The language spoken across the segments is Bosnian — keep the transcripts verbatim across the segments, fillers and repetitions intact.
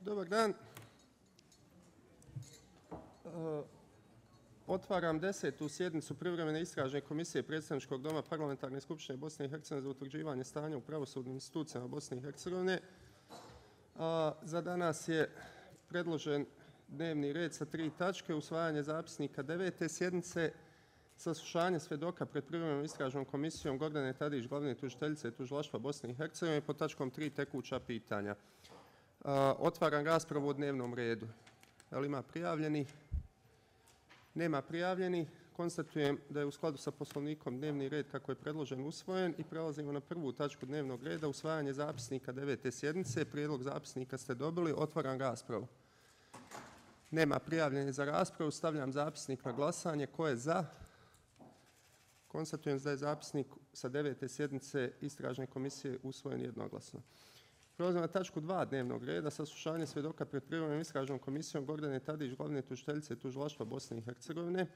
Dobar dan. Otvaram desetu sjednicu privremene istražne komisije Predstavničkog doma Parlamentarne skupštine Bosne i Hercegovine za utvrđivanje stanja u pravosudnim institucijama Bosne i Hercegovine. Za danas je predložen dnevni red sa tri tačke: usvajanje zapisnika devete sjednice, saslušanje svjedoka pred privremenom istražnom komisijom Gordane Tadić, glavne tužiteljice Tužilaštva Bosne i Hercegovine, pod tačkom tri tekuća pitanja. Otvaram raspravu o dnevnom redu. Da li ima prijavljeni? Nema prijavljeni. Konstatujem da je u skladu sa Poslovnikom dnevni red kako je predložen usvojen i prelazimo na prvu tačku dnevnog reda: usvajanje zapisnika devete sjednice. Prijedlog zapisnika ste dobili. Otvaram raspravu. Nema prijavljeni za raspravu. Stavljam zapisnik na glasanje. Ko je za? Konstatujem da je zapisnik sa devete sjednice istražne komisije usvojen jednoglasno. Prelazimo na tačku dva dnevnog reda: saslušanje svjedoka pred privremenom istražnom komisijom Gordane Tadić, glavne tužiteljice Tužilaštva Bosne i Hercegovine.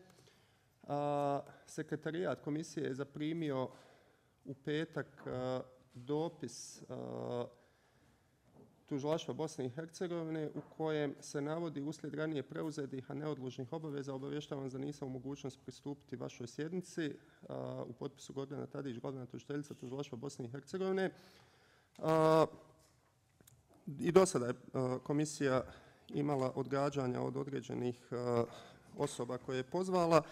A, sekretarijat komisije je zaprimio u petak a, dopis a, Tužilaštva Bosne i Hercegovine u kojem se navodi: uslijed ranije preuzetih, a neodložnih obaveza, obavještavam da nisam u mogućnosti pristupiti vašoj sjednici. A, u potpisu Gordana Tadić, glavna tužiteljica Tužilaštva Bosne i Hercegovine. A, I do sada je komisija imala odgađanja od određenih osoba koje je pozvala,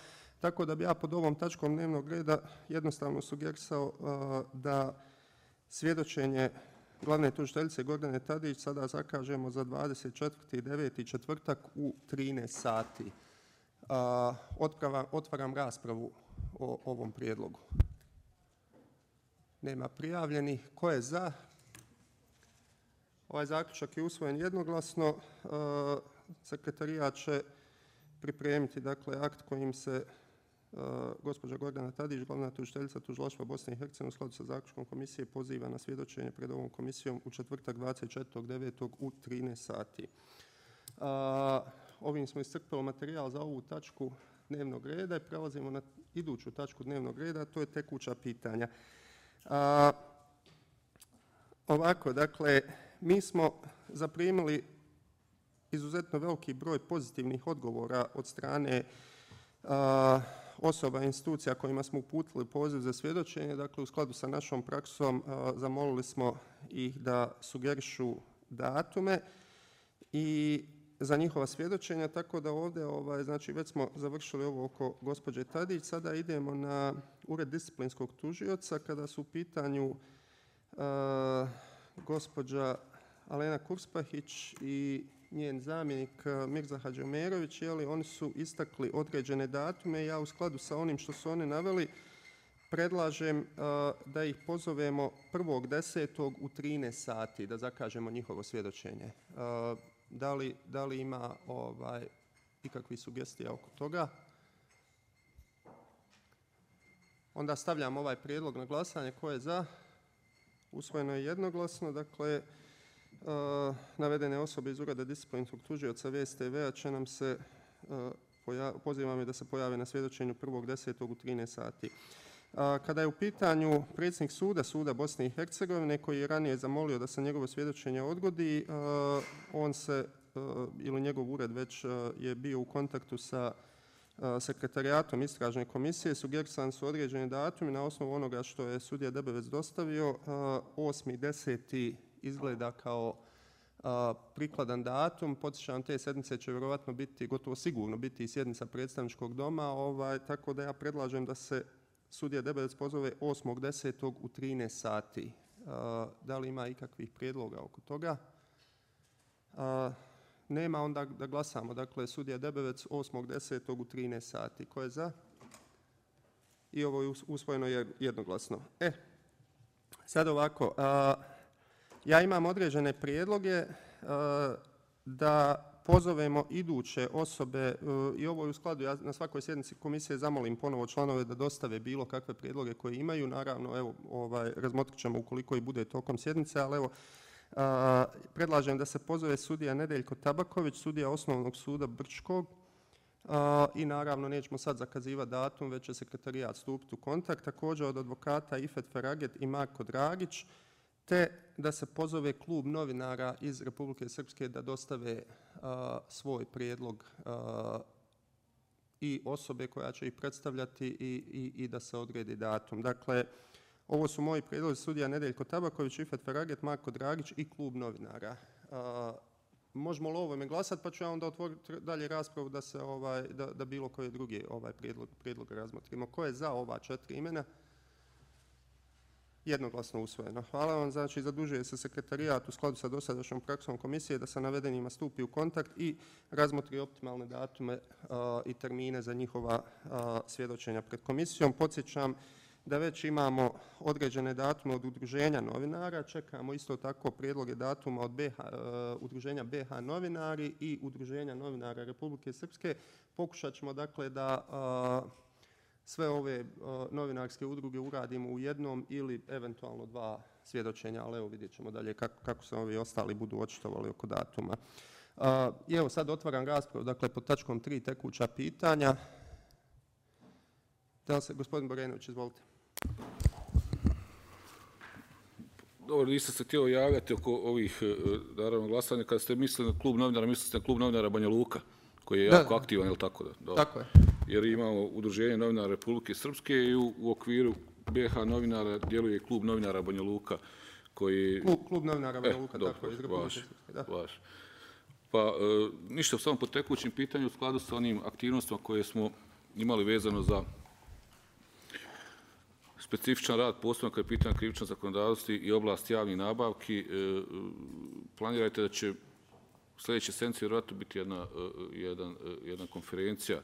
tako da bi ja pod ovom tačkom dnevnog reda jednostavno sugerisao da svjedočenje glavne tužiteljice Gordane Tadić sada zakažemo za dvadeset četvrti deveti četvrtak u trinaest sati. Otvaram raspravu o ovom prijedlogu. Nema prijavljenih. Ko je za? Ovaj zaključak je usvojen jednoglasno. Sekretarijat će pripremiti dakle, akt kojim se uh, gospođa Gordana Tadić, glavna tužiteljica Tužilaštva Bosne i Hercegovine, u skladu sa zaključkom komisije poziva na svjedočenje pred ovom komisijom u četvrtak dvadeset četvrtog devetog u trinaest sati. Uh, ovim smo iscrpili materijal za ovu tačku dnevnog reda i prelazimo na iduću tačku dnevnog reda, to je tekuća pitanja. Uh, ovako, dakle, mi smo zaprimili izuzetno veliki broj pozitivnih odgovora od strane a, osoba i institucija kojima smo uputili poziv za svjedočenje. Dakle, u skladu sa našom praksom a, zamolili smo ih da sugerišu datume i za njihova svjedočenja, tako da ovdje ovaj, znači, već smo završili ovo oko gospođe Tadić. Sada idemo na ured disciplinskog tužioca kada su u pitanju a, gospođa Alena Kurspahić i njen zamjenik Mirza Hadžiomerović. Jeli, oni su istakli određene datume. Ja u skladu sa onim što su oni naveli predlažem uh, da ih pozovemo prvog desetog u trinaest sati da zakažemo njihovo svjedočenje. Uh, da, li, da li ima ovaj, ikakvih sugestija oko toga? Onda stavljam ovaj prijedlog na glasanje. Ko je za? Usvojeno je jednoglasno. Dakle, uh, navedene osobe iz ureda disciplinskog tužioca V S T V-a će nam se, uh, pozivam je da se pojave na svjedočenju prvog desetog u trinaest sati. Uh, kada je u pitanju predsjednik suda, suda Bosne i Hercegovine, koji je ranije zamolio da se njegovo svjedočenje odgodi, uh, on se, uh, ili njegov ured već uh, je bio u kontaktu sa sekretarijatom istražne komisije. Sugerisani su određeni datumi na osnovu onoga što je sudija Debevec dostavio. osmi deseti izgleda kao prikladan datum. Podsjećam, te sjednice će vjerovatno biti, gotovo sigurno biti i sjednica predstavničkog doma, ovaj, tako da ja predlažem da se sudija Debevec pozove osmog desetog u trinaest sati. Da li ima ikakvih prijedloga oko toga? Nema, onda da glasamo. Dakle, sudija Debevec osmog desetog u trinaest sati. Ko je za? I ovo je usvojeno jednoglasno. E, sad ovako. A, ja imam određene prijedloge a, da pozovemo iduće osobe a, i ovo je u skladu. Ja na svakoj sjednici komisije zamolim ponovo članove da dostave bilo kakve prijedloge koje imaju. Naravno, evo, ovaj, razmotrit ćemo ukoliko i bude tokom sjednice, ali evo, Uh, predlažem da se pozove sudija Nedeljko Tabaković, sudija Osnovnog suda Brčkog, uh, i naravno nećemo sad zakazivati datum, već će sekretarijat stupiti u kontakt. Također od advokata Ifet Feraget i Marko Dragić, te da se pozove klub novinara iz Republike Srpske da dostave a, svoj prijedlog a, i osobe koja će ih predstavljati i, i, i da se odredi datum. Dakle, ovo su moji prijedlozi: sudija Nedeljko Tabaković, Ifet Feraget, Marko Dragić i klub novinara. A, možemo li o ovome glasati, pa ću ja onda otvoriti dalje raspravu da se ovaj, da, da bilo koje drugi ovaj prijedlog, prijedlog razmotrimo. Ko je za ova četiri imena? Jednoglasno usvojeno. Hvala vam. Znači, zadužuje se sekretarijat u skladu sa dosadašnjom praksom komisije da sa navedenima stupi u kontakt i razmotri optimalne datume a, i termine za njihova a, svjedočenja pred komisijom. Podsjećam da već imamo određene datume od udruženja novinara. Čekamo isto tako prijedloge datuma od B H, uh, udruženja B H novinari i udruženja novinara Republike Srpske. Pokušat ćemo dakle da uh, sve ove uh, novinarske udruge uradimo u jednom ili eventualno dva svjedočenja, ali evo vidjet ćemo dalje kako, kako se ovi ostali budu očitovali oko datuma. Uh, I evo sad otvaram raspravu, dakle pod tačkom tri tekuća pitanja. Da se, gospodin Borenović, izvolite. Dobro, nisam se htio javljati oko ovih, naravno, glasanja. Kada ste mislili na klub novinara, mislili ste na klub novinara Banja Luka, koji je jako da, aktivan, je li tako? Da? Da. Tako je. Jer imamo udruženje novinara Republike Srpske i u, u okviru B H novinara djeluje klub novinara Banja Luka, koji... Klub, klub novinara Banja Luka, e, tako dobro, je, iz Republike vaš, Srpske. Da. Vaš. Pa, e, ništa, samo po tekućim pitanju u skladu sa onim aktivnostima koje smo imali vezano za specifičan rad, posebno kad je pitanje krivično zakonodavstvo i oblast javnih nabavki. E, planirajte da će sljedeće sedmice vjerojatno biti jedna, jedan, jedna konferencija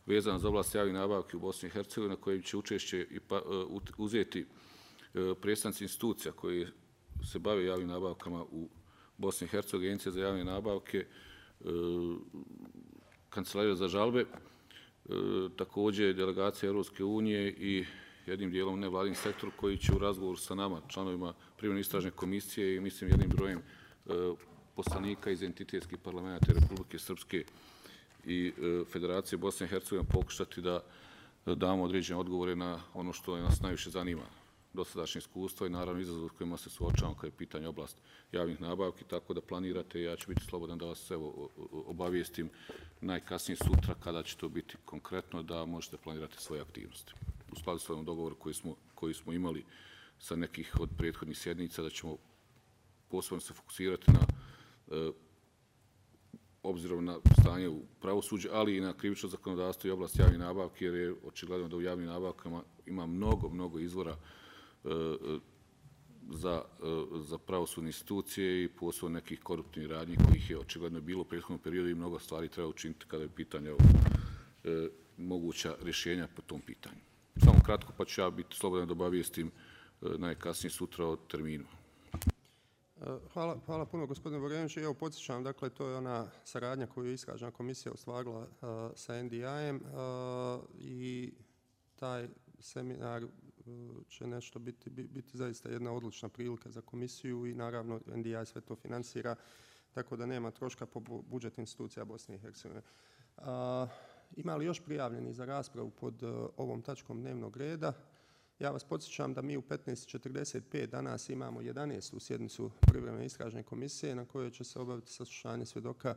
vezana za oblast javnih nabavki u Bosni i Hercegovini, na kojoj će učešće i pa, uzeti predstavnici institucija koji se bave javnim nabavkama u Bosni i Hercegovini, Agencija za javne nabavke, Kancelarija za žalbe, također delegacija Europske unije i jednim dijelom nevladin sektor koji će u razgovoru sa nama, članovima privremene istražne komisije i mislim jednim brojem e, poslanika iz entitetskih parlamenta Republike Srpske i e, Federacije Bosne i Hercegovine pokušati da, da damo određene odgovore na ono što nas najviše zanima, dosadašnje iskustvo i naravno izazov s kojima se suočavamo kada je pitanje oblast javnih nabavki, tako da planirate, ja ću biti slobodan da vas evo, obavijestim najkasnije sutra kada će to biti konkretno, da možete planirati svoje aktivnosti. U skladu s ovim dogovoru koji smo, koji smo imali sa nekih od prethodnih sjednica, da ćemo posebno se fokusirati na, e, obzirom na stanje u pravosuđu, ali i na krivično zakonodavstvo i oblast javnih nabavki, jer je očigledno da u javnim nabavkama ima mnogo, mnogo izvora e, za, e, za pravosudne institucije i posebno nekih koruptivnih radnji kojih je očigledno bilo u prethodnom periodu i mnogo stvari treba učiniti kada je pitanje o e, moguća rješenja po tom pitanju. Samo kratko, pa ću ja biti slobodan da obavijestim najkasnije sutra o terminu. Hvala, hvala puno, gospodine Borenović. Evo, podsjećam, dakle, to je ona saradnja koju je istražna komisija ostvarila uh, sa N D I-em uh, i taj seminar uh, će nešto biti, biti zaista jedna odlična prilika za komisiju i naravno N D I sve to finansira, tako da nema troška po budžet institucija Bosne i Hercegovine. Uh, Ima li još prijavljeni za raspravu pod uh, ovom tačkom dnevnog reda? Ja vas podsjećam da mi u petnaest četrdeset pet danas imamo jedanaestu sjednicu privremene istražne komisije na kojoj će se obaviti saslušanje svjedoka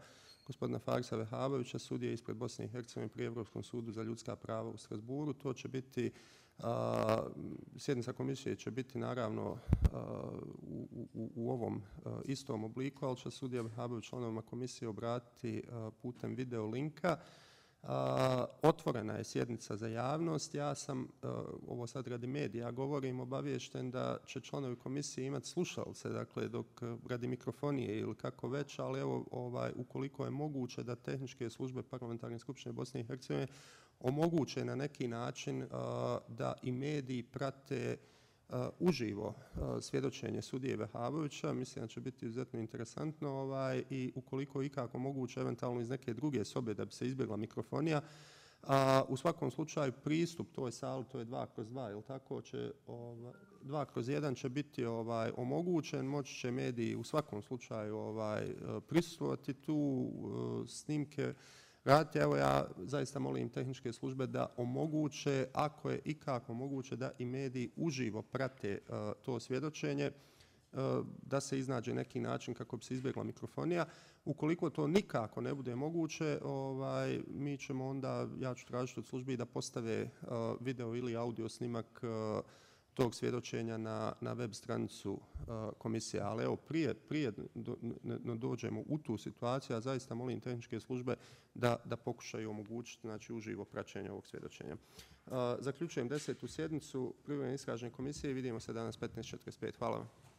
gospodina Farisa Vehabovića, sudije ispred Bosne i Hercegovine pri Evropskom sudu za ljudska prava u Strasburu. To će biti, uh, sjednica komisije će biti naravno uh, u, u, u ovom uh, istom obliku, ali će sudija Vehabović članovima komisije obratiti uh, putem video linka. Uh, otvorena je sjednica za javnost. Ja sam, uh, ovo sad radi medija govorim, obaviješten da će članovi komisije imati slušalce, dakle dok radi mikrofonije ili kako već, ali evo ovaj, ukoliko je moguće da tehničke službe Parlamentarne skupštine Bosne i Hercegovine omoguće na neki način uh, da i mediji prate Uh, uživo uh, svjedočenje sudije Vehabovića, mislim da će biti izuzetno interesantno ovaj, i ukoliko ikako moguće eventualno iz neke druge sobe da bi se izbjegla mikrofonija. A, u svakom slučaju pristup toj sali, to je dva kroz dva, ili tako, će, ovaj, dva kroz jedan će biti ovaj, omogućen, moći će mediji u svakom slučaju ovaj, prisustvovati tu uh, snimke raditi. Evo ja zaista molim tehničke službe da omoguće, ako je ikako moguće, da i mediji uživo prate uh, to svjedočenje. da se iznađe neki način kako bi se izbjegla mikrofonija. Ukoliko to nikako ne bude moguće, ovaj, mi ćemo onda, ja ću tražiti od službi da postave video ili audio snimak tog svjedočenja na, na web stranicu uh, komisije. Ali evo, prije, prije do, ne, dođemo u tu situaciju, a zaista molim tehničke službe da, da pokušaju omogućiti znači, uživo praćenje ovog svjedočenja. Uh, zaključujem desetu sjednicu privremene istražne komisije i vidimo se danas petnaest četrdeset pet. Hvala vam.